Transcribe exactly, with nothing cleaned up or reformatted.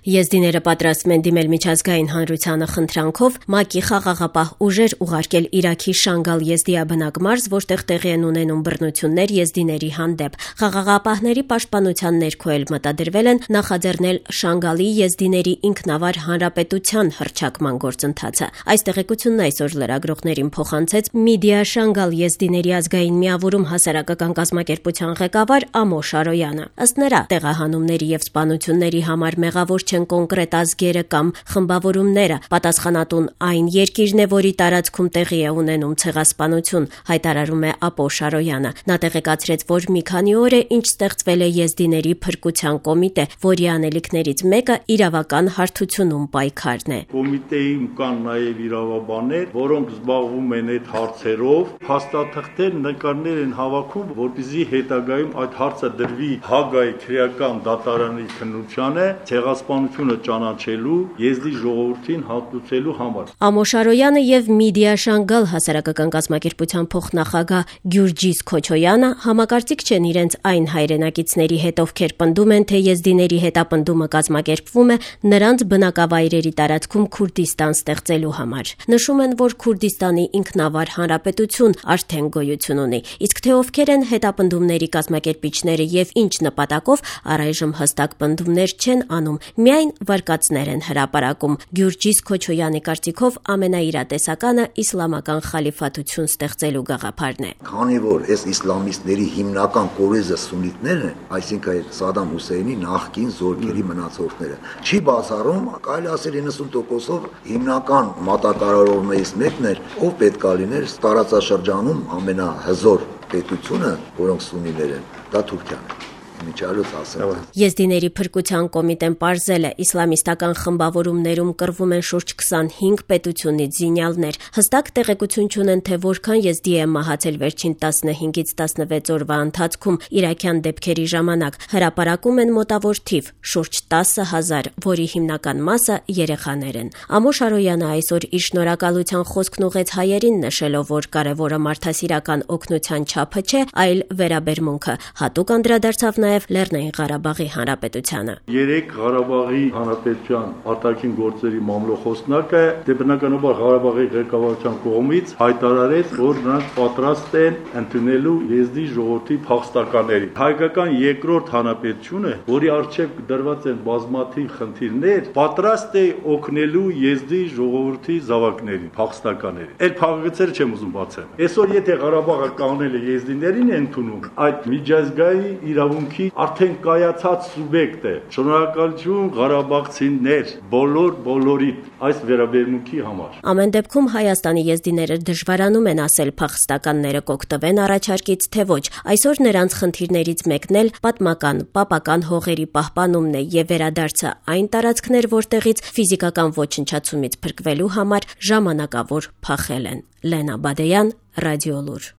Եզդիները պատրաստվում են դիմել միջազգային հանրությանը խնդրանքով ՄԱԿ-ի խաղաղապահ ուժեր ուղարկել Իրաքի Շանգալ եզդիաբնակ մարզ, որտեղ տեղի են ունենում բռնություններ եզդիների հանդեպ։ Խաղաղապահների պաշտպանության ներքո էլ մտադրվել են նախաձեռնել Շանգալի եզդիների ինքնավար հանրապետության հռչակման գործընթացը։ Այս տեղեկությունն այսօր լրագրողներին փոխանցեց Միդիա Շանգալ եզդիների ազգային միավորում հասարակական կազմակերպության ղեկավար Ամո Շարոյանը։ Ըստ նրա, տեղահանումների եւ սպանությունների համար մեղավոր չեն կոնկրետ ազգերը կամ խմբավորումները, պատասխանատուն այն երկիրն է, որի տարածքում տեղի է ունենում ցեղասպանություն, հայտարարում է Ապո Շարոյանը։ Նա տեղեկացրեց, որ մի քանի օր է ինչ ստեղծվել է եզդիների փրկության կոմիտե, որի անելիքներից մեկը իրավական հարթությունում պայքարն է։ Կոմիտեին կան նաեւ իրավաբաններ, որոնք զբաղվում են այդ հարցերով, փաստաթղթեր, նկարներ են հավաքում, որպեսզի հետագայում այդ հարցը դրվի Հագայի քրեական դատարանի քննությանը ցեղասպանությունը ճանաչելու, եզդի ժողովրդին հատուցելու համար։ Ամո Շարոյանը եւ Միդիա Շանգալ հասարակական կազմակերպության փոխնախագահ Գյուրջիս Քոչոյանը համակարծիք չեն իրենց այն հայրենակիցների հետ, ովքեր պնդում են, թե եզդիների հետապնդումը կազմակերպվում է նրանց բնակավայրերի տարածքում Քուրդիստան ստեղծելու համար։ Նշում են, որ Քուրդիստանի ինքնավար հանրապետություն արդեն գոյություն ունի, իսկ թե ովքեր են հետապնդումների կազմակերպիչները եւ ինչ նպատակով, առայժմ հստակ պնդումներ չեն անում, միայն վարկածներ են հրապարակում։ Գյուրջիս Քոչոյանի կարծիքով ամենաիրատեսականը իսլամական խալիֆատություն ստեղծելու գաղափարն է։ Քանի որ այս իսլամիստների հիմնական կորեզը սուննիտներն են, այսինքն Սադամ Հուսեյնի նախկին զորքերի մնացորդները, չի բացառում, կարելի ասել իննսուն տոկոսով հիմնական մատակարարողներից մեկն էր, ով պետք է լիներ տարածաշրջանում ամենահզոր պետությունը, որոնք սուննիներ են, դա Թուրքիան է։ Եզդիների փրկության կոմիտեն պարզել է, իսլամիստական խմբավորումներում կռվում են շուրջ քսանհինգ պետությունից զինյալներ։ Հստակ տեղեկություն չունեն, թե որքան եզդի է մահացել վերջին տասնհինգից տասնվեց օրվա ընթացքում իրաքյան դեպքերի ժամանակ։ Հրապարակում են մոտավոր թիվ՝ շուրջ տասը հազար, որի հիմնական մասը երեխաներ են։ Ամո Շարոյանը այսօր իր շնորհակալության խոսքն ուղեց հայերին, նշելով, որ կարևորը մարդասիրական օգնության չափը չէ, այլ վերաբերմունքը։ Հատուկ անդրադարձավ նաև Լեռնային Ղարաբաղի Հանրապետությանը։ Երեք Ղարաբաղի Հանրապետության արտաքին գործերի մամլոխոսնակը դե բնականաբար Ղարաբաղի ղեկավարության կողմից հայտարարեց, որ նրանք պատրաստ են ընդունելու եզդի ժողովրդի փախստականներին։ Հայկական երկրորդ հանրապետությունը, որի առջև դրված են բազմաթիվ խնդիրներ, պատրաստ է օգնելու եզդի ժողովրդի զավակներին, փախստականներին։ Այդ փաղագծերը չեմ ուզում բացեմ։ Այսօր եթե Ղարաբաղը կանել է եզդիներին է ընդունում, այդ միջազգային իրավունքի արդեն կայացած սուբյեկտ է։ Շնորհակալություն ղարաբաղցիներ, բոլոր բոլորիդ այս վերաբերմունքի համար։ Ամեն դեպքում Հայաստանի եզդիները դժվարանում են ասել փախստականները կօգտվեն առաջարկից, թե ոչ։ Այսօր նրանց խնդիրներից մեկն էլ պատմական, պապական հողերի պահպանումն է եւ վերադարձը այն տարածքներ, որտեղից ֆիզիկական ոչնչացումից փրկվելու համար ժամանակավոր փախել են։ Լենա Բադեյան, Ռադիոլուր։